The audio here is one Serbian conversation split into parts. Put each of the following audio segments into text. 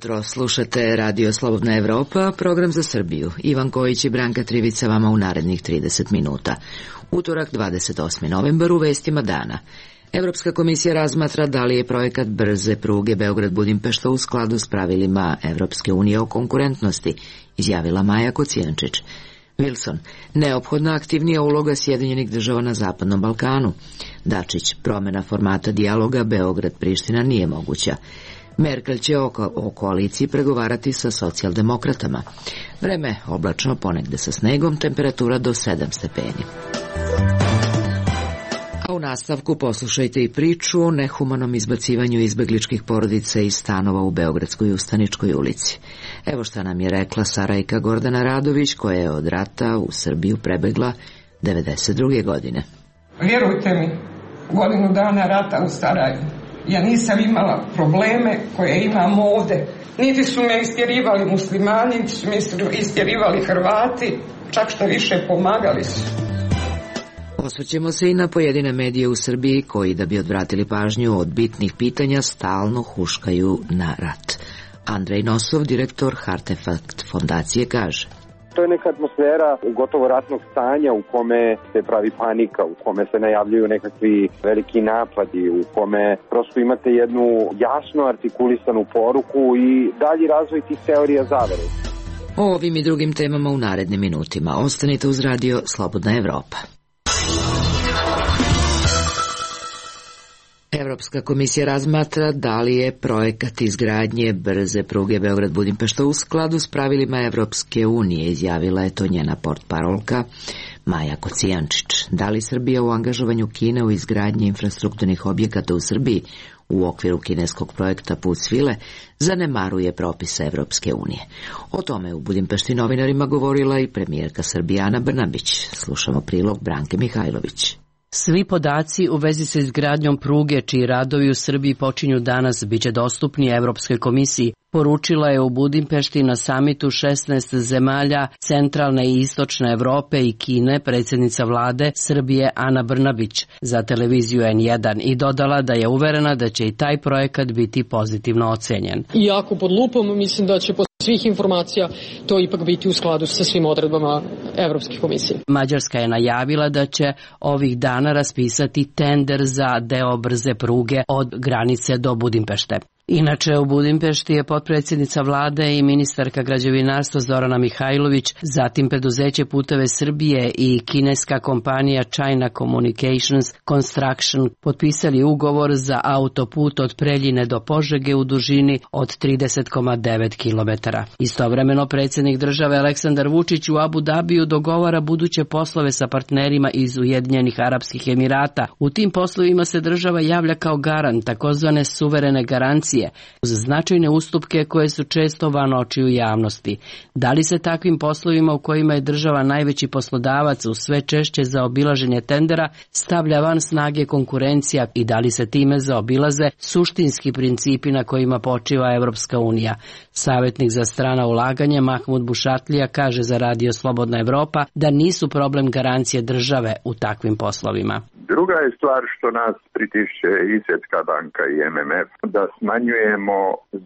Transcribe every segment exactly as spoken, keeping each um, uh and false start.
jutro, slušate Radio Slobodna Evropa, program za Srbiju. Ivan Kojić i Branka Trivica vama u narednih trideset minuta. Utorak, dvadeset osmi novembar, u vestima dana. Evropska komisija razmatra da li je projekat brze pruge Beograd-Budimpešta u skladu s pravilima Evropske unije o konkurentnosti, izjavila Maja Kocijančić. Wilson, neophodna aktivnija uloga Sjedinjenih država na Zapadnom Balkanu. Dačić, promjena formata dijaloga Beograd-Priština nije moguća. Merkel će o, o koaliciji pregovarati sa socijaldemokratama. Vreme oblačno, ponegde sa snegom, temperatura do sedam stepeni. A u nastavku poslušajte i priču o nehumanom izbacivanju izbegličkih porodica iz stanova u Beogradskoj Ustaničkoj ulici. Evo šta nam je rekla Sarajka Gordana Radović, koja je od rata u Srbiju prebegla devedeset druge godine. Vjerujte mi, godinu dana rata u Sarajevu ja nisam imala probleme koje imam ovde. Niti su me istjerivali muslimani, niti su me istjerivali Hrvati, čak što više pomagali su. Osvrćemo se i na pojedine medije u Srbiji koji, da bi odvratili pažnju od bitnih pitanja, stalno huškaju na rat. Andrej Nosov, direktor Hartefakt fondacije, kaže: To je neka atmosfera gotovo ratnog stanja u kome se pravi panika, u kome se najavljuju nekakvi veliki napadi, u kome prosto imate jednu jasno artikulisanu poruku i dalji razvoj tih teorija zavere. O ovim i drugim temama u narednim minutima. Ostanite uz Radio Slobodna Evropa. Evropska komisija razmatra da li je projekat izgradnje brze pruge Beograd-Budimpešta u skladu s pravilima Evropske unije, izjavila je to njena portparolka Maja Kocijančić. Da li Srbija u angažovanju Kine u izgradnji infrastrukturnih objekata u Srbiji u okviru kineskog projekta Put svile zanemaruje propise Evropske unije? O tome u Budimpešti novinarima govorila i premijerka Srbije Ana Brnabić. Slušamo prilog Branke Mihajlović. Svi podaci u vezi sa izgradnjom pruge, čiji radovi u Srbiji počinju danas, biće dostupni Evropskoj komisiji, poručila je u Budimpešti na samitu šesnaest zemalja centralne i istočne Evrope i Kine predsjednica vlade Srbije Ana Brnabić za televiziju en jedan i dodala da je uverena da će i taj projekat biti pozitivno ocenjen. Iako pod lupom, mislim da će po svih informacija to ipak biti u skladu sa svim odredbama Evropske komisije. Mađarska je najavila da će ovih dana raspisati tender za deo brze pruge od granice do Budimpešte. Inače, u Budimpešti je potpredsjednica vlade i ministarka građevinarstva Zorana Mihajlović, zatim preduzeće Puteve Srbije i kineska kompanija China Communications Construction potpisali ugovor za autoput od Preljine do Požege u dužini od trideset zarez devet kilometara. Istovremeno, predsjednik države Aleksandar Vučić u Abu Dabiju dogovara buduće poslove sa partnerima iz Ujedinjenih Arapskih Emirata. U tim poslovima se država javlja kao garant, takozvane suverene garancije, uz značajne ustupke koje su često van očiju javnosti. Da li se takvim poslovima u kojima je država najveći poslodavac u sve češće za obilaženje tendera stavlja van snage konkurencija i da li se time zaobilaze suštinski principi na kojima počiva Evropska unija? Savjetnik za strana ulaganja Mahmud Bušatlija kaže za Radio Slobodna Evropa da nisu problem garancije države u takvim poslovima. Druga je stvar što nas pritišće i Svjetska banka i em em ef da smanjujemo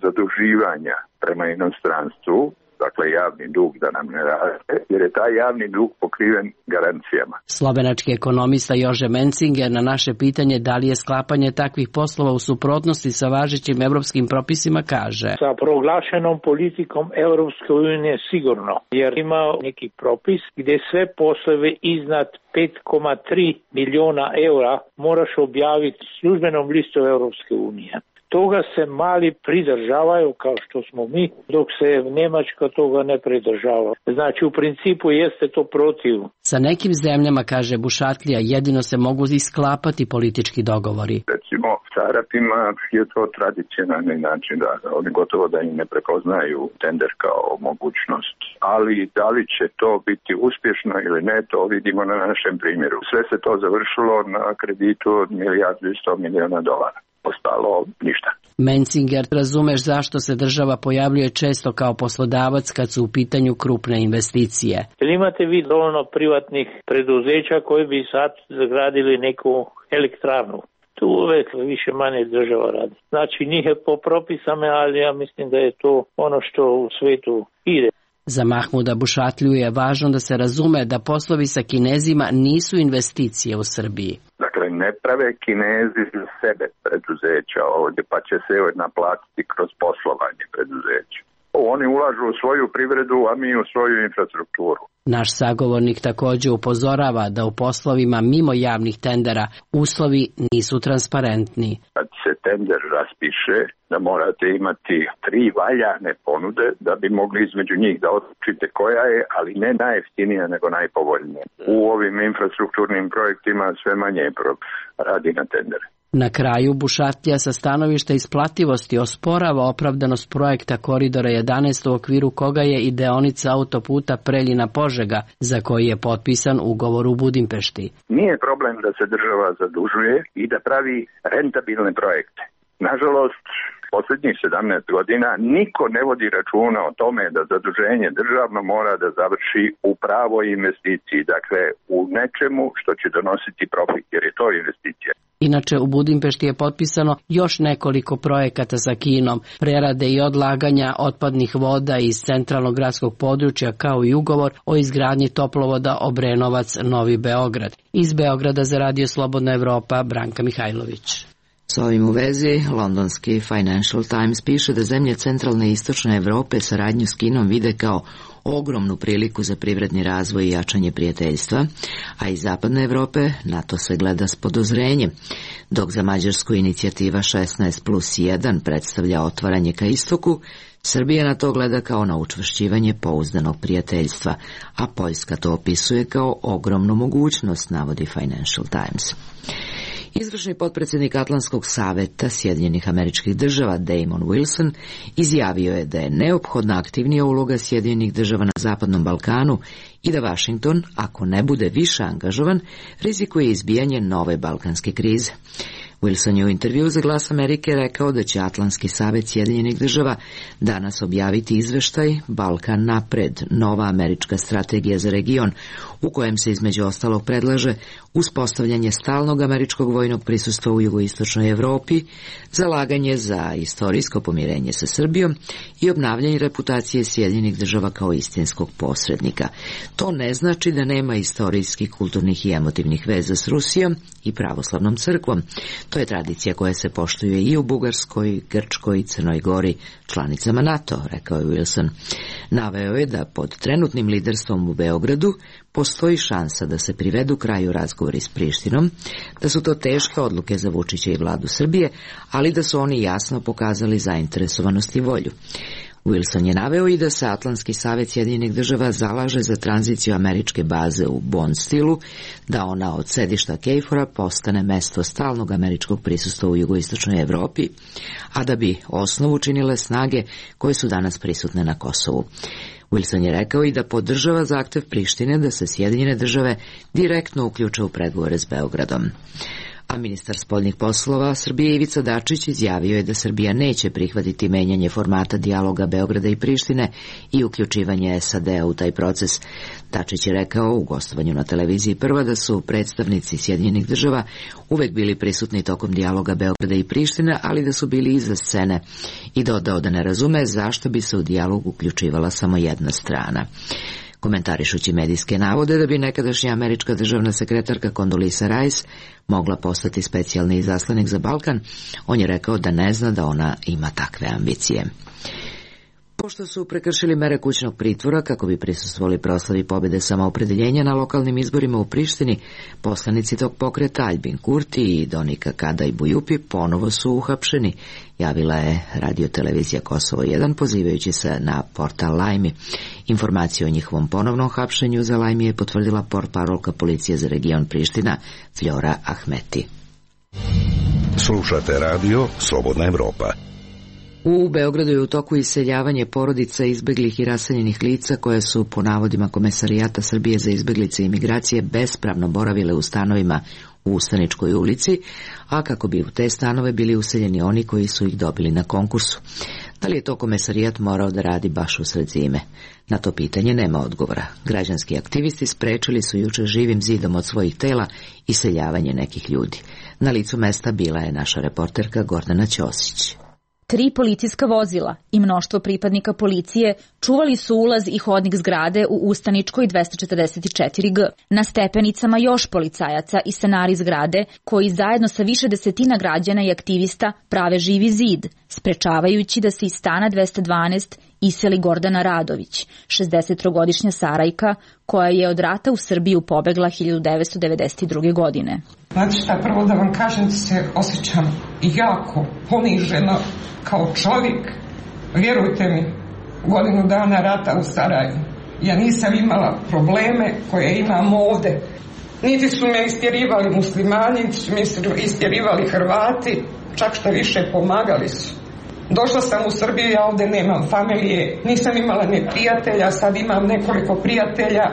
zaduživanja prema inostranstvu, dakle javni dug da nam ne raste, jer je taj javni dug pokriven garancijama. Slovenački ekonomista Jože Mencinger na naše pitanje da li je sklapanje takvih poslova u suprotnosti sa važećim evropskim propisima kaže: Sa proglašenom politikom Evropske unije sigurno, jer ima neki propis gdje sve poslove iznad pet zarez tri miliona eura moraš objaviti službenom listu Evropske unije. Toga se mali pridržavaju kao što smo mi, dok se Njemačka toga ne pridržava. Znači u principu jeste to protiv. Sa nekim zemljama, kaže Bušatlija, jedino se mogu isklapati politički dogovori. Recimo sa Arapima je to tradicionalni način da oni gotovo da im ne prepoznaju tender kao mogućnost. Ali da li će to biti uspješno ili ne, to vidimo na našem primjeru. Sve se to završilo na kreditu od milijardu i sto miliona dolara. Ostalo ništa. Mencinger, razumeš zašto se država pojavljuje često kao poslodavac kad su u pitanju krupne investicije? Imate vi dovoljno privatnih preduzeća koji bi sad zagradili neku elektrarnu. Tu uvek više manje država radi. Znači nije po propisama, ali ja mislim da je to ono što u svetu ide. Za Mahmuda Bušatliju je važno da se razume da poslovi sa Kinezima nisu investicije u Srbiji. Dakle, ne prave Kinezi za sebe preduzeća ovdje, pa će se naplatiti kroz poslovanje preduzeća. Oni ulažu u svoju privredu, a mi u svoju infrastrukturu. Naš sagovornik također upozorava da u poslovima mimo javnih tendera uslovi nisu transparentni. Kad se tender raspiše, da morate imati tri valjane ponude da bi mogli između njih da odlučite koja je, ali ne najjeftinija nego najpovoljnija. U ovim infrastrukturnim projektima sve manje radi na tendere. Na kraju Bušatlija sa stanovišta isplativosti osporava opravdanost projekta Koridora jedanaest u okviru koga je i deonica autoputa Preljina-Požega, za koji je potpisan ugovor u Budimpešti. Nije problem da se država zadužuje i da pravi rentabilne projekte. Nažalost, posljednjih sedamnaest godina niko ne vodi računa o tome da zaduženje državno mora da završi u pravoj investiciji, dakle u nečemu što će donositi profit, jer je to investicija. Inače, u Budimpešti je potpisano još nekoliko projekata sa Kinom, prerade i odlaganja otpadnih voda iz centralnog gradskog područja, kao i ugovor o izgradnji toplovoda Obrenovac-Novi Beograd. Iz Beograda za Radio Slobodna Evropa, Branka Mihajlović. S ovim u vezi, londonski Financial Times piše da zemlje centralne i istočne Evrope saradnju s Kinom vide kao ogromnu priliku za privredni razvoj i jačanje prijateljstva, a iz zapadne Evrope na to se gleda s podozrenjem, dok za Mađarsku inicijativa šesnaest plus jedan predstavlja otvaranje ka istoku, Srbija na to gleda kao na učvršćivanje pouzdanog prijateljstva, a Poljska to opisuje kao ogromnu mogućnost, navodi Financial Times. Izvršni potpredsjednik Atlantskog saveta Sjedinjenih Američkih Država Damon Wilson izjavio je da je neophodna aktivnija uloga Sjedinjenih Država na Zapadnom Balkanu i da Washington, ako ne bude više angažovan, rizikuje izbijanje nove balkanske krize. Wilson je u intervju za Glas Amerike rekao da će Atlantski savet Sjedinjenih Država danas objaviti izveštaj Balkan napred, nova američka strategija za region, u kojem se između ostalog predlaže uspostavljanje stalnog američkog vojnog prisustva u jugoistočnoj Evropi, zalaganje za istorijsko pomirenje sa Srbijom i obnavljanje reputacije Sjedinjenih Država kao istinskog posrednika. To ne znači da nema istorijskih, kulturnih i emotivnih veza s Rusijom i pravoslavnom crkvom. To je tradicija koja se poštuje i u Bugarskoj, Grčkoj i Crnoj Gori, članicama NATO, rekao je Wilson. Naveo je da pod trenutnim liderstvom u Beogradu postoji šansa da se privedu kraju razgovori s Prištinom, da su to teške odluke za Vučića i vladu Srbije, ali da su oni jasno pokazali zainteresovanost i volju. Wilson je naveo i da se Atlantski savet Sjedinjenih Država zalaže za tranziciju američke baze u Bond stilu, da ona od sedišta Kejfora postane mesto stalnog američkog prisustva u jugoistočnoj Evropi, a da bi osnovu činile snage koje su danas prisutne na Kosovu. Wilson je rekao i da podržava zahtev Prištine da se Sjedinjene Države direktno uključe u pregovore s Beogradom. A ministar spoljnih poslova Srbije Ivica Dačić izjavio je da Srbija neće prihvatiti menjanje formata dijaloga Beograda i Prištine i uključivanje S A D-a u taj proces. Dačić je rekao u gostovanju na televiziji Prva da su predstavnici Sjedinjenih Država uvek bili prisutni tokom dijaloga Beograda i Prištine, ali da su bili iza scene, i dodao da ne razume zašto bi se u dijalog uključivala samo jedna strana. Komentarišući medijske navode da bi nekadašnja američka državna sekretarka Condoleezza Rice mogla postati specijalni izaslanik za Balkan, on je rekao da ne zna da ona ima takve ambicije. Pošto su prekršili mere kućnog pritvora kako bi prisustvovali proslavi pobjede samoopredeljenja na lokalnim izborima u Prištini, poslanici tog pokreta Albin Kurti i Donika Kada i Bujupi ponovo su uhapšeni, javila je radiotelevizija Kosovo jedan pozivajući se na portal Lajmi. Informaciju o njihovom ponovnom hapšenju za Lajmi je potvrdila portparolka policije za region Priština Fljora Ahmeti. Slušate radio Slobodna Evropa. U Beogradu je u toku iseljavanje porodica izbeglih i raseljenih lica koje su, po navodima Komesarijata Srbije za izbeglice i imigracije, bespravno boravile u stanovima u Ustaničkoj ulici, a kako bi u te stanove bili useljeni oni koji su ih dobili na konkursu. Da li je to komesarijat morao da radi baš usred zime? Na to pitanje nema odgovora. Građanski aktivisti sprečili su juče živim zidom od svojih tela iseljavanje nekih ljudi. Na licu mesta bila je naša reporterka Gordana Ćosić. Tri policijska vozila i mnoštvo pripadnika policije čuvali su ulaz i hodnik zgrade u Ustaničkoj dvesta četrdeset četiri G. Na stepenicama još policajaca i stanari zgrade koji zajedno sa više desetina građana i aktivista prave živi zid, sprečavajući da se iz stana dvesta dvanaest iseli Gordana Radović, šezdesettrogodišnja Sarajka koja je od rata u Srbiju pobegla hiljadu devetsto devedeset druge. godine. Znate šta, prvo da vam kažem da se osjećam jako poniženo kao čovjek. Vjerujte mi, godinu dana rata u Sarajevu ja nisam imala probleme koje imam ovde. Niti su me istjerivali muslimani, niti su me istjerivali Hrvati, čak što više pomagali su. Došla sam u Srbiju, ja ovde nemam familije, nisam imala ni prijatelja, sad imam nekoliko prijatelja.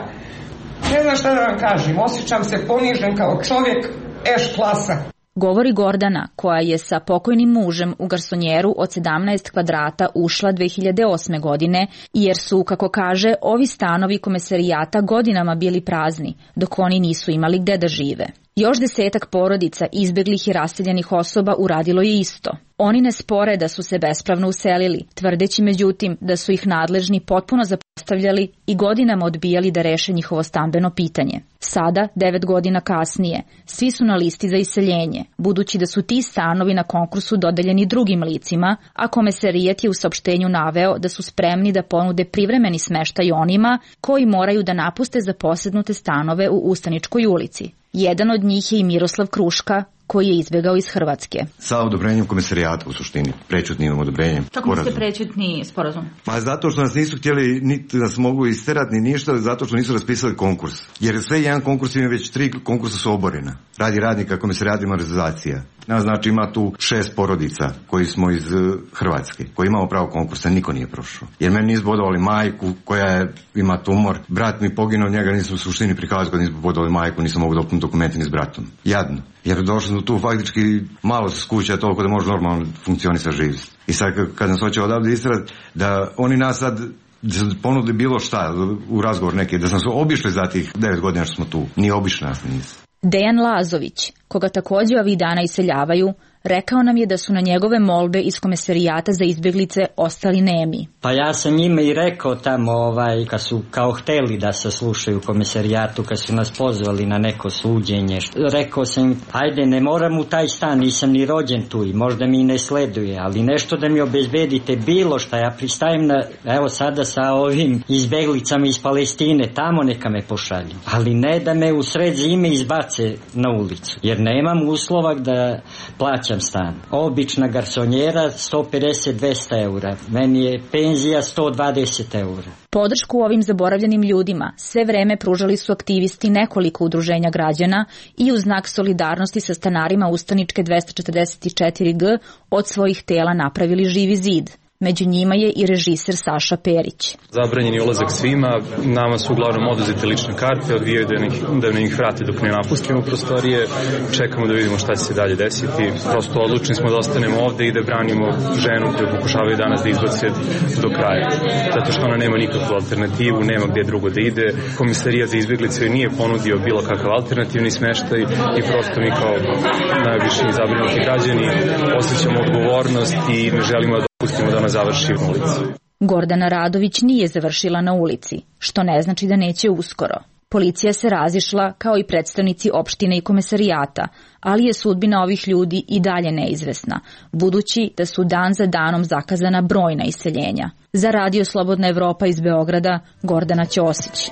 Ne znam šta da vam kažem, osjećam se ponižen kao čovjek, eš klasa. Govori Gordana, koja je sa pokojnim mužem u garsonjeru od sedamnaest kvadrata ušla dve hiljade osme. godine, jer su, kako kaže, ovi stanovi komesarijata godinama bili prazni, dok oni nisu imali gde da žive. Još desetak porodica izbeglih i raseljenih osoba uradilo je isto. Oni ne spore da su se bespravno uselili, tvrdeći međutim da su ih nadležni potpuno zapostavljali i godinama odbijali da reše njihovo stambeno pitanje. Sada, devet godina kasnije, svi su na listi za iseljenje, budući da su ti stanovi na konkursu dodeljeni drugim licima, a komesarijat je u saopštenju naveo da su spremni da ponude privremeni smeštaj onima koji moraju da napuste zaposednute stanove u Ustaničkoj ulici. Jedan od njih je i Miroslav Kruška, koji je izbjegao iz Hrvatske. Sa odobrenjem komesarijata u suštini, prečutnim odobrenjem. Kako mislite prečutni sporazum? Ma zato što nas nisu htjeli, niti nas mogu isterati, ni ništa, zato što nisu raspisali konkurs. Jer sve jedan konkurs ima već tri konkursa su oborena. Radi radnika komesarijata i organizacija. Znači ima tu šest porodica koji smo iz Hrvatske, koji imamo pravo konkursa, niko nije prošao. Jer meni nisu bodovali majku koja je, ima tumor, brat mi poginuo, njega nisam u suštini prikazao kad nisam bodovali majku, nisam mogu dopuniti dokumenti ni s bratom. Jadno. Jer došli smo tu faktički malo se skuća toliko da može normalno funkcionisati živjeti. I sad kad nas hoće odavde istrati, da oni nas sad ponudili bilo šta u razgovor neki, da sam se obišli za tih devet godina što smo tu. Nije obišli nas nisu. Dejan Lazović, koga također ovih dana iseljavaju, rekao nam je da su na njegove molbe iz komesarijata za izbjeglice ostali nemi. Pa ja sam njima i rekao tamo, ovaj, kad su kao hteli da se slušaju u komesarijatu, kad su nas pozvali na neko suđenje, rekao sam, ajde, ne moram u taj stan, nisam ni rođen tu i možda mi ne sleduje, ali nešto da mi obezbedite bilo šta, ja pristajem na, evo sada sa ovim izbjeglicama iz Palestine, tamo neka me pošalju, ali ne da me u sred zime izbace na ulicu, jer nemam uslova da plaćam stan. Obična garsonjera sto pedeset do dvesta eura. Meni je penzija sto dvadeset eura. Podršku ovim zaboravljenim ljudima sve vreme pružali su aktivisti nekoliko udruženja građana i u znak solidarnosti sa stanarima Ustaničke dvesta četrdeset četiri G od svojih tela napravili živi zid. Među njima je i režiser Saša Perić. Zabranjen je ulazak svima, nama su uglavnom oduzete lične karte, odvijaju da, da ne ih vrate dok ne napustimo prostorije, čekamo da vidimo šta će se dalje desiti. Prosto odlučni smo da ostanemo ovde i da branimo ženu koju pokušavaju danas da izbace do kraja. Zato što ona nema nikakvu alternativu, nema gdje drugo da ide. Komisarijat za izbjeglice nije ponudio bilo kakav alternativni smeštaj i prosto mi kao najviše zabrinuti građani osjećamo odgovornost i ne želimo da pustimo da ona završi u ulici. Gordana Radović nije završila na ulici, što ne znači da neće uskoro. Policija se razišla kao i predstavnici opštine i komesarijata, ali je sudbina ovih ljudi i dalje neizvesna, budući da su dan za danom zakazana brojna iseljenja. Za Radio Slobodna Evropa iz Beograda, Gordana Ćosić.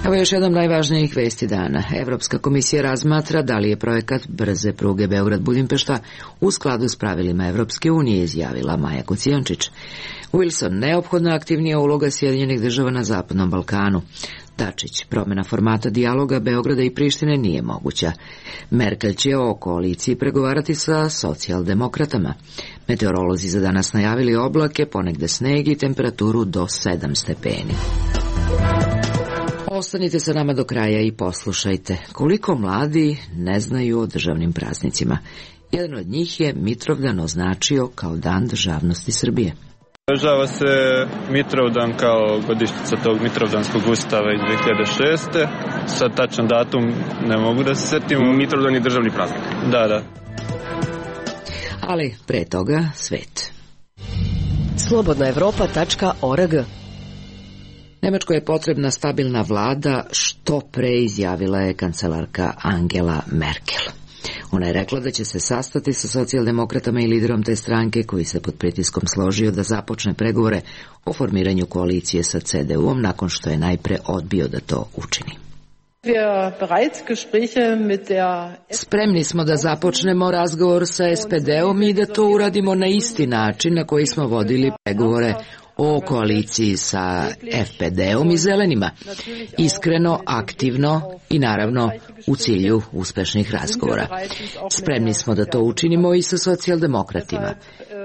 Evo još jednom najvažnijih vesti dana. Evropska komisija razmatra da li je projekat brze pruge Beograd-Budimpešta u skladu s pravilima Evropske unije, izjavila Maja Kocijančić. Wilson, neophodna aktivnija uloga Sjedinjenih država na Zapadnom Balkanu. Dačić, promjena formata dijaloga Beograda i Prištine nije moguća. Merkel će o koaliciji pregovarati sa socijaldemokratama. Meteorolozi za danas najavili oblake, ponegde sneg i temperaturu do sedam stepeni. Ostanite sa nama do kraja i poslušajte koliko mladi ne znaju o državnim praznicima. Jedan od njih je Mitrovdan označio kao Dan državnosti Srbije. Održava se Mitrovdan kao godišnjica tog Mitrovdanskog ustava iz dve hiljade šeste. Sad tačan datum ne mogu da se setim. Mitrovdan je državni praznik. Da, da. Ali pre toga svet. slobodna evropa tačka org. Nemačkoj je potrebna stabilna vlada, što pre izjavila je kancelarka Angela Merkel. Ona je rekla da će se sastati sa socijaldemokratama i liderom te stranke koji se pod pritiskom složio da započne pregovore o formiranju koalicije sa C D U-om nakon što je najpre odbio da to učini. Spremni smo da započnemo razgovor sa S P D-om i da to uradimo na isti način na koji smo vodili pregovore o koaliciji sa F P D-om i Zelenima. Iskreno, aktivno i naravno u cilju uspešnih razgovora. Spremni smo da to učinimo i sa socijaldemokratima.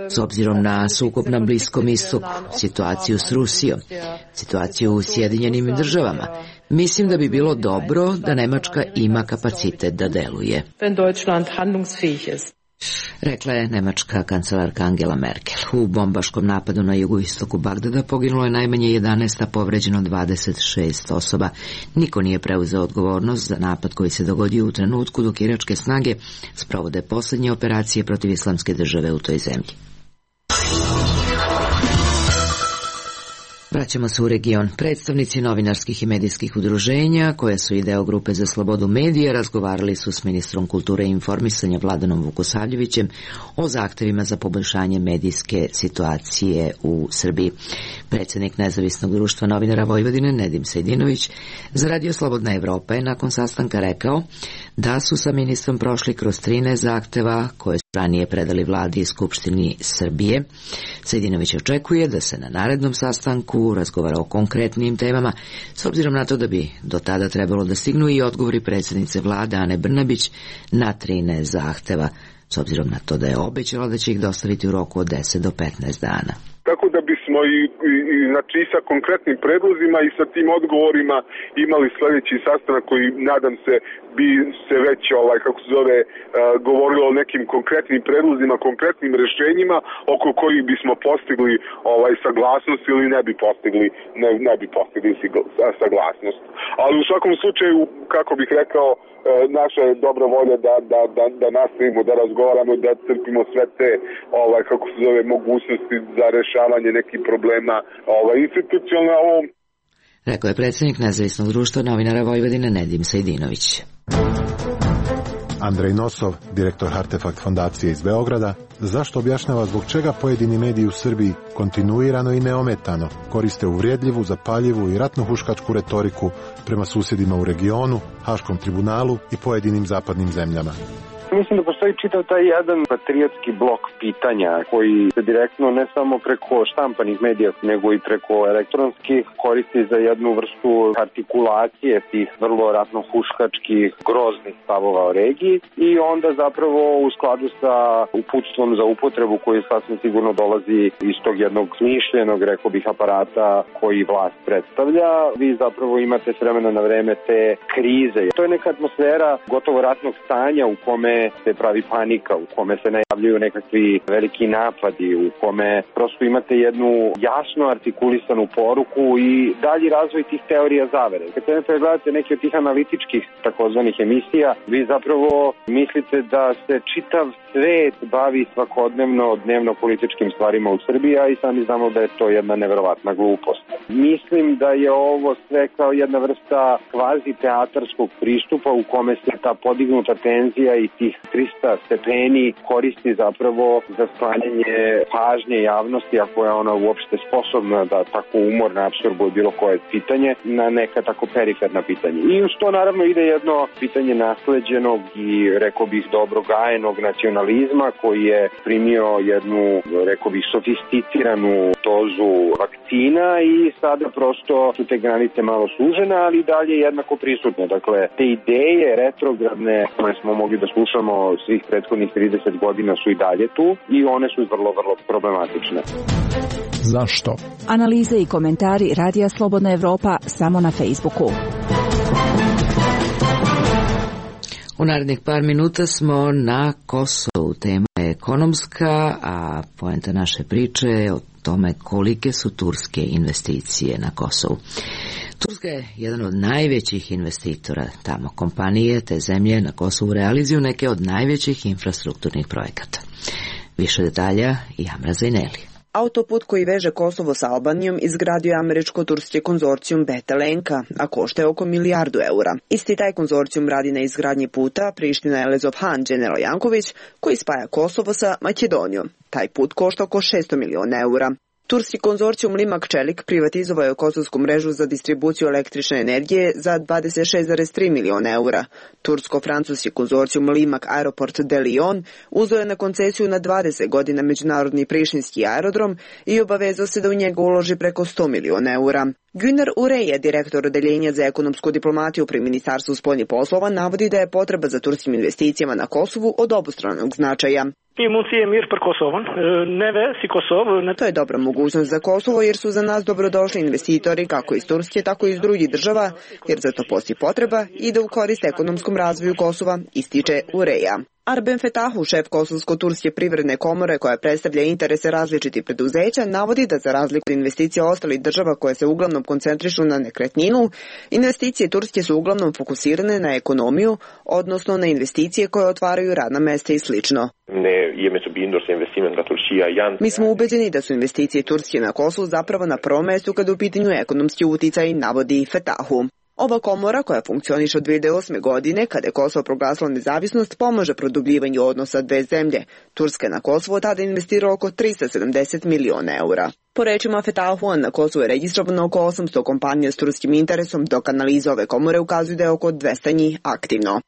S obzirom na sukob na Bliskom istoku, situaciju s Rusijom, situaciju u Sjedinjenim državama, mislim da bi bilo dobro da Nemačka ima kapacitet da deluje. Rekla je nemačka kancelarka Angela Merkel. U bombaškom napadu na jugoistoku Bagdada poginulo je najmanje jedanaest, a povređeno dvadeset šest osoba. Niko nije preuzeo odgovornost za napad koji se dogodio u trenutku dok iračke snage sprovode poslednje operacije protiv islamske države u toj zemlji. Vraćamo se u region. Predstavnici novinarskih i medijskih udruženja, koje su i deo grupe za slobodu medija, razgovarali su s ministrom kulture i informisanja Vladanom Vukosavljevićem o zahtevima za poboljšanje medijske situacije u Srbiji. Predsjednik Nezavisnog društva novinara Vojvodine Nedim Sejdinović za Radio Slobodna Evropa je nakon sastanka rekao da su sa ministrom prošli kroz trinaest zahteva koje su ranije predali vladi i Skupštini Srbije. Sejdinović očekuje da se na narednom sastanku razgovara o konkretnim temama, s obzirom na to da bi do tada trebalo da stignu i odgovori predsjednice vlade Ane Brnabić na trinaest zahteva, s obzirom na to da je obećala da će ih dostaviti u roku od deset do petnaest dana. Tako da bismo i, i, i znači i sa konkretnim predlozima i sa tim odgovorima imali sljedeći sastanak koji, nadam se, bi se već, ovaj, kako se zove, uh, govorilo o nekim konkretnim predlozima, konkretnim rešenjima oko kojih bismo postigli ovaj, saglasnost ili ne bi postigli, ne, ne bi postigli saglasnost. Ali u svakom slučaju, kako bih rekao, naša je dobra volja da, da, da, da nastavimo, da razgovaramo, da crpimo sve te ovaj, kako se zove, mogućnosti za rešavanje nekih problema ovaj, institucionalno. Rekao je predsjednik Nezavisnog društva novinara Vojvodine Nedim Sejdinović. Andrej Nosov, direktor Artefakt fondacije iz Beograda, zašto objašnjava zbog čega pojedini mediji u Srbiji kontinuirano i neometano koriste uvrijedljivu, zapaljivu i ratnohuškačku retoriku prema susjedima u regionu, Haškom tribunalu i pojedinim zapadnim zemljama. Mislim da postoji čitav taj jedan patriotski blok pitanja koji se direktno ne samo preko štampanih medija nego i preko elektronskih koristi za jednu vrstu artikulacije tih vrlo ratno-huškačkih groznih stavova o regiji i onda zapravo u skladu sa uputstvom za upotrebu koji sasvim sigurno dolazi iz tog jednog smišljenog, rekao bih, aparata koji vlast predstavlja, vi zapravo imate s vremena na vreme te krize. To je neka atmosfera gotovo ratnog stanja u kome se pravi panika, u kome se najavljuju nekakvi veliki napadi, u kome prosto imate jednu jasno artikulisanu poruku i dalji razvoj tih teorija zavere. Kad se pregledate neke od tih analitičkih takozvanih emisija, vi zapravo mislite da se čitav svet bavi svakodnevno dnevno političkim stvarima u Srbiji, a i sami znamo da je to jedna neverovatna glupost. Mislim da je ovo sve kao jedna vrsta kvazi teatarskog pristupa u kome se ta podignuta tenzija i tih trista stepeni koristi zapravo za sklanjanje pažnje javnosti, ako je ona uopšte sposobna da tako umorno apsorbuje bilo koje pitanje na neka tako periferna pitanja. I uz to naravno ide jedno pitanje nasleđenog i, rekao bih, dobro gajenog nacionalizma koji je primio jednu, rekao bih, sofisticiranu dozu vakcina i sada prosto su te granice malo sužene, ali dalje jednako prisutne. Dakle, te ideje retrogradne koje smo mogli da slušamo svih prethodnih trideset godina su i dalje tu i one su vrlo, vrlo problematične. Zašto? Analize i komentari Radija Slobodna Evropa samo na Facebooku. U narednih par minuta smo na Kosovu. Tema je ekonomska, a poenta naše priče je o tome kolike su turske investicije na Kosovu. Turska je jedan od najvećih investitora tamo. Kompanije te zemlje na Kosovu realizuju neke od najvećih infrastrukturnih projekata. Više detalja i Amra Zaineli. Autoput koji veže Kosovo sa Albanijom izgradio je američko-turski konzorcijum Betelenka, a košta je oko milijardu eura. Isti taj konzorcijum radi na izgradnji puta Priština-Elezovhan General Janković, koji spaja Kosovo sa Makedonijom. Taj put košta oko šesto miliona eura. Turski konzorcijum Limak Čelik privatizovao je kosovsku mrežu za distribuciju električne energije za dvadeset šest zarez tri miliona eura. Tursko-francuski konzorcijum Limak Aeroport de Lyon uzeo je na koncesiju na dvadeset godina međunarodni prištinski aerodrom i obavezao se da u njega uloži preko sto miliona eura. Güner Ureje, direktor odeljenja za ekonomsku diplomatiju pri Ministarstvu spoljnih poslova, navodi da je potreba za turskim investicijama na Kosovu od obostranog značaja. To je dobra mogućnost za Kosovo jer su za nas dobrodošli investitori kako iz Turske, tako i iz drugih država, jer za to postoji potreba i da u korist ekonomskom razvoju Kosova, ističe Ureja. Arben Fetahu, šef Kosovsko-turske privredne komore koja predstavlja interese različitih preduzeća, navodi da za razliku od investicija ostalih država koje se uglavnom koncentrišu na nekretninu, investicije Turske su uglavnom fokusirane na ekonomiju, odnosno na investicije koje otvaraju radna mesta i slično. Mi smo ubeđeni da su investicije Turske na Kosovu zapravo na prvom mestu kada u pitanju ekonomski uticaj, navodi Fetahu. Ova komora, koja funkcioniše od dve hiljade osme. godine, kada je Kosovo proglasilo nezavisnost, pomaže produbljivanju odnosa dve zemlje. Turska je na Kosovo tada investirala oko tristo sedamdeset miliona eura. Po rečima Fetahu, na Kosovu je registrovano oko osamsto kompanija s turskim interesom, dok analize ove komore ukazuju da je oko dvesta njih aktivno.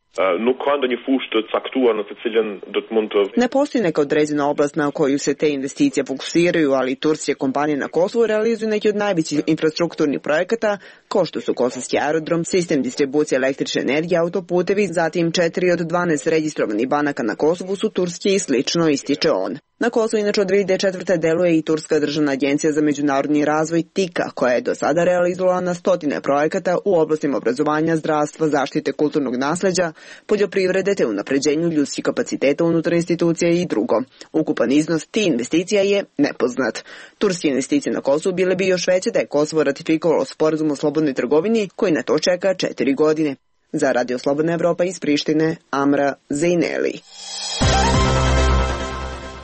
Ne postoji neka određena oblast na koju se te investicije fokusiraju, ali turske kompanije na Kosovu realizuju neki od najvećih infrastrukturnih projekata, kao što su kosovski aerodrom, sistem distribucije električne energije, autoputevi, zatim četiri od dvanaest registrovanih banaka na Kosovu su turske i slično, ističe on. Na Kosovu inače od dve hiljade četvrte. deluje i Turska državna agencija za međunarodni razvoj TIKA, koja je do sada realizovala na stotine projekata u oblastima obrazovanja, zdravstva, zaštite kulturnog nasleđa, poljoprivrede te unapređenju ljudskih kapaciteta unutar institucija i drugo. Ukupan iznos tih investicija je nepoznat. Turske investicije na Kosovu bile bi još veće da je Kosovo ratifikovalo sporazum o slobodnoj trgovini koji na to čeka četiri godine. Za Radio Slobodna Evropa iz Prištine, Amra Zaineli.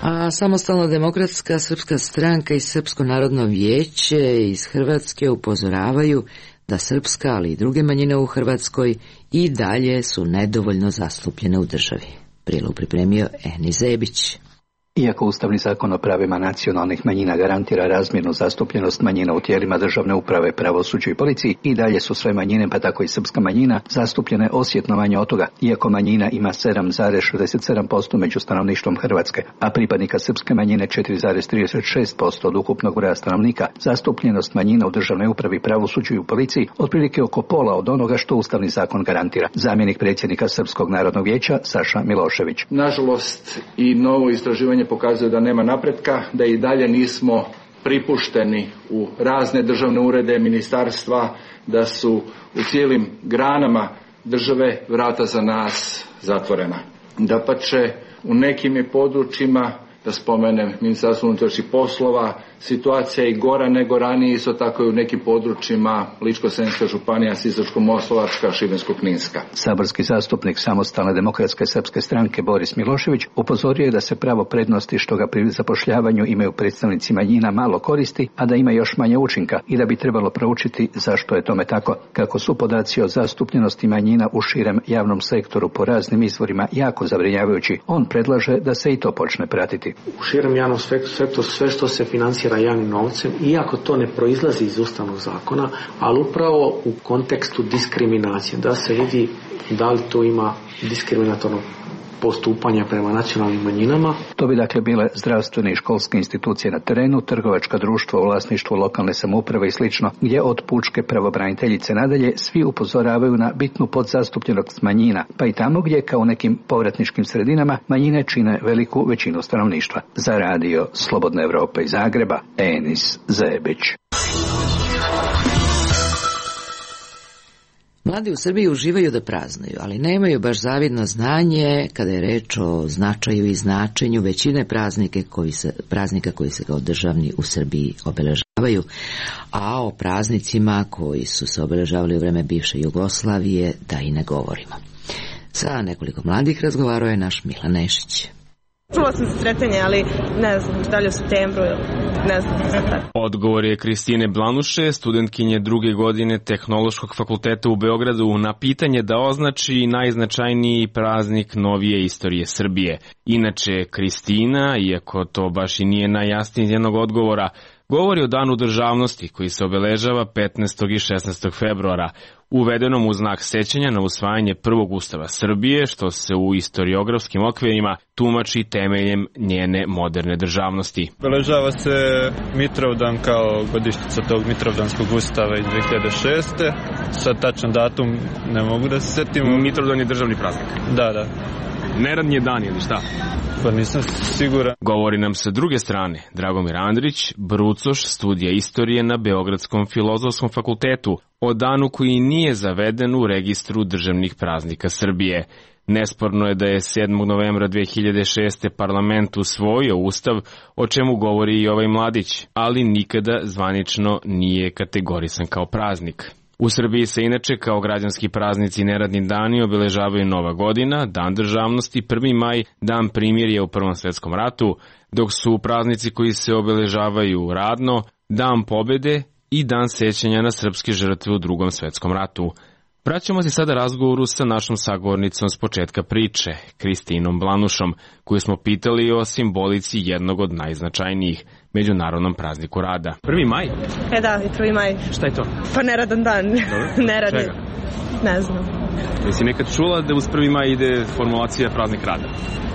A Samostalna demokratska srpska stranka i Srpsko narodno vijeće iz Hrvatske upozoravaju da srpska, ali i druge manjine u Hrvatskoj i dalje su nedovoljno zastupljene u državi. Prilogu pripremio Eni Zebić. Iako Ustavni zakon o pravima nacionalnih manjina garantira razmjernu zastupljenost manjina u tijelima državne uprave, pravosuđu i policiji, i dalje su sve manjine, pa tako i srpska manjina, zastupljene osjetno manje od toga, iako manjina ima sedam zarez šezdeset sedam posto među stanovništvom Hrvatske, a pripadnika srpske manjine četiri zarez trideset šest posto od ukupnog broja stanovnika. Zastupljenost manjina u državnoj upravi, pravosuđu i u policiji otprilike oko pola od onoga što Ustavni zakon garantira. Zamjenik predsjednika Srpskog narodnog vijeća Saša Milošević. Nažalost, i novo istraživanje pokazuje da nema napretka, da i dalje nismo pripušteni u razne državne urede, ministarstva, da su u cijelim granama države vrata za nas zatvorena. Dapače, u nekim je područjima, da spomenem Ministarstvo unutrašnjih poslova, situacija je i gora nego ranije, isto tako i u nekim područjima Ličko-senjska županija, Sisačko-moslavačka, Šibensko-kninska. Saborski zastupnik Samostalne demokratske srpske stranke Boris Milošević upozorio je da se pravo prednosti što ga pri zapošljavanju imaju predstavnici manjina malo koristi, a da ima još manje učinka i da bi trebalo proučiti zašto je tome tako. Kako su podaci o zastupljenosti manjina u širem javnom sektoru po raznim izvorima jako zabrinjavajući, on predlaže da se i to počne pratiti. U širem javnom sektoru sve što se financira javnim novcem, iako to ne proizlazi iz Ustavnog zakona, ali upravo u kontekstu diskriminacije, da se vidi da li to ima diskriminatorno postupanja prema nacionalnim manjinama. To bi dakle bile zdravstvene i školske institucije na terenu, trgovačka društva u vlasništvu lokalne samouprave i slično, gdje od pučke pravobraniteljice nadalje svi upozoravaju na bitnu podzastupljenost manjina, pa i tamo gdje kao u nekim povratničkim sredinama manjine čine veliku većinu stanovništva. Za Radio Slobodna Evropa iz Zagreba, Enis Zebić. Mladi u Srbiji uživaju da praznuju, ali nemaju baš zavidno znanje kada je reč o značaju i značenju većine praznike koji se, praznika koji se kao državni u Srbiji obeležavaju, a o praznicima koji su se obeležavali u vreme bivše Jugoslavije da i ne govorimo. Sa nekoliko mladih razgovarao je naš Milan Nešić. Čula sam za sretanje, ali ne znam, da li u septembru ili ne znam. Odgovor je Kristine Blanuše, studentkinje druge godine Tehnološkog fakulteta u Beogradu, na pitanje da označi najznačajniji praznik novije istorije Srbije. Inače, Kristina, iako to baš i nije najjasnije iz jednog odgovora, govori o Danu državnosti koji se obeležava petnaestog i šesnaestog februara, uvedenom u znak sećanja na usvajanje prvog ustava Srbije, što se u istoriografskim okvirima tumači temeljem njene moderne državnosti. Obeležava se Mitrovdan kao godišnjica tog Mitrovdanskog ustava iz dve hiljade šeste. Sad tačan datum ne mogu da se setim. Mitrovdan je državni praznik. Da, da. Neradni dan ili šta? Pa nisam siguran. Govori nam sa druge strane Dragomir Andrić, brucoš studija istorije na Beogradskom filozofskom fakultetu, o danu koji nije zaveden u registru državnih praznika Srbije. Nesporno je da je sedmog novembra dve hiljade šeste parlament usvojio ustav, o čemu govori i ovaj mladić, ali nikada zvanično nije kategorisan kao praznik. U Srbiji se inače kao građanski praznici neradni dani obeležavaju Nova godina, Dan državnosti, prvi maj, Dan primirja u Prvom svetskom ratu, dok su praznici koji se obeležavaju radno, Dan pobede i Dan sećanja na srpske žrtve u Drugom svetskom ratu. Vraćamo se sada razgovoru sa našom sagovornicom s početka priče, Kristinom Blanušom, koju smo pitali o simbolici jednog od najznačajnijih, međunarodnom prazniku rada. Prvi maj? E da, i prvi maj. Šta je to? Pa neradan dan. Neradni. Čega? Ne znam. Jesi nekad čula da uz prvi maj ide formulacija praznik rada?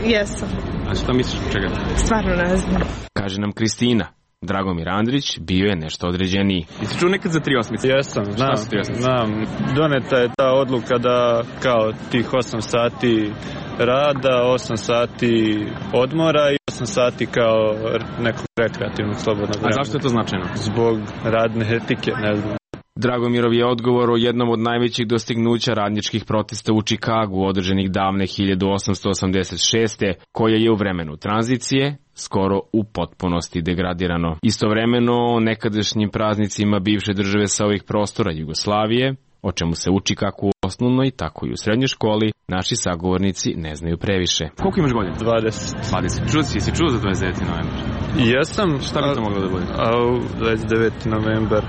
Jesam. A šta misliš od čega? Stvarno ne znam. Kaže nam Kristina. Dragomir Andrić bio je nešto određeniji. Jesi čuo nekad za tri osmice? Jesam, znam, znam. Doneta je ta odluka da kao tih osam sati rada, osam sati odmora i osam sati kao nekog rekreativnog slobodnog vremena. A zašto je to značajno? Zbog radne etike, ne znam. Dragomirov je odgovor o jednom od najvećih dostignuća radničkih protesta u Čikagu održanih davne hiljadu osamsto osamdeset šeste, koja je u vremenu tranzicije skoro u potpunosti degradirano. Istovremeno, nekadašnjim praznicima bivše države sa ovih prostora Jugoslavije, o čemu se uči kako u osnovnoj, tako i u srednjoj školi, naši sagovornici ne znaju previše. Koliko imaš godina? dvadeset. dvadeset. Čuo si, si čuo za dvadeset deveti novembar? Jesam. Šta bi to moglo da bude? A dvadeset deveti novembar.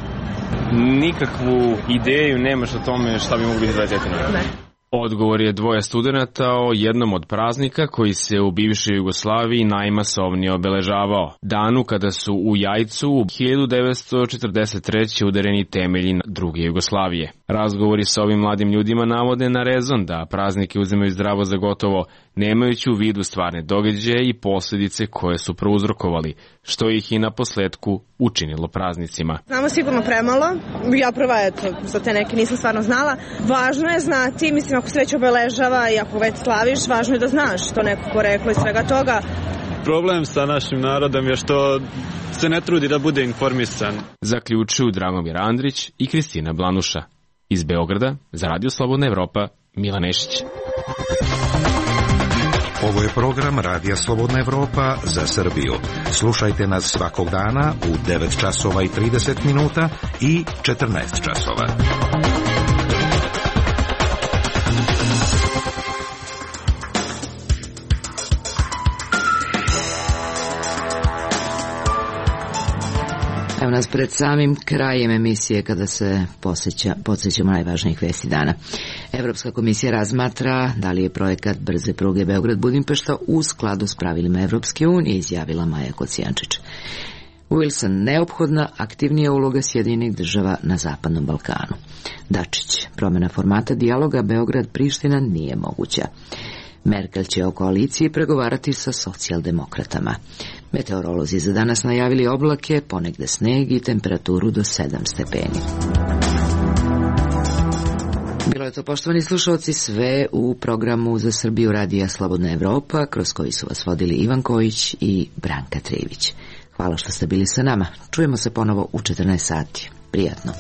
Nikakvu ideju nemaš o tome šta bi moglo biti dvadeset deveti novembar? Ne. Odgovor je dvoje studenata o jednom od praznika koji se u bivšoj Jugoslaviji najmasovnije obeležavao. Danu kada su u Jajcu u hiljadu devetsto četrdeset treće udareni temelji druge Jugoslavije. Razgovori sa ovim mladim ljudima navode na rezon da praznike uzimaju zdravo za gotovo, nemajući u vidu stvarne događaje i posljedice koje su prouzrokovali, što ih i na posledku učinilo praznicima. Znamo sigurno premalo, ja prva eto, za te neke nisam stvarno znala. Važno je znati, mislim ako se već obeležava i ako već slaviš, važno je da znaš što neko poreklo i svega toga. Problem sa našim narodom je što se ne trudi da bude informisan. Zaključuju Dragomir Andrić i Kristina Blanuša. Iz Beograda, za Radio Slobodna Evropa, Milan Nešić. Ovo je program Radija Slobodna Evropa za Srbiju. Slušajte nas svakog dana u devet časova i trideset minuta i četrnaest časova. Evo nas pred samim krajem emisije kada se posjeća, podsjećamo najvažnijih vesti dana. Evropska komisija razmatra da li je projekat brze pruge Beograd-Budimpešta u skladu s pravilima Evropske unije, izjavila Maja Kocijančić. Wilson, neophodna aktivnija uloga Sjedinjenih država na Zapadnom Balkanu. Dačić, promjena formata dijaloga Beograd-Priština nije moguća. Merkel će o koaliciji pregovarati sa socijaldemokratama. Meteorolozi za danas najavili oblake, ponegde sneg i temperaturu do sedam stepeni. Bilo je to, poštovani slušalci, sve u programu za Srbiju Radija Slobodna Evropa, kroz koji su vas vodili Ivan Kojić i Branka Trivić. Hvala što ste bili sa nama. Čujemo se ponovo u četrnaest sati. Prijatno.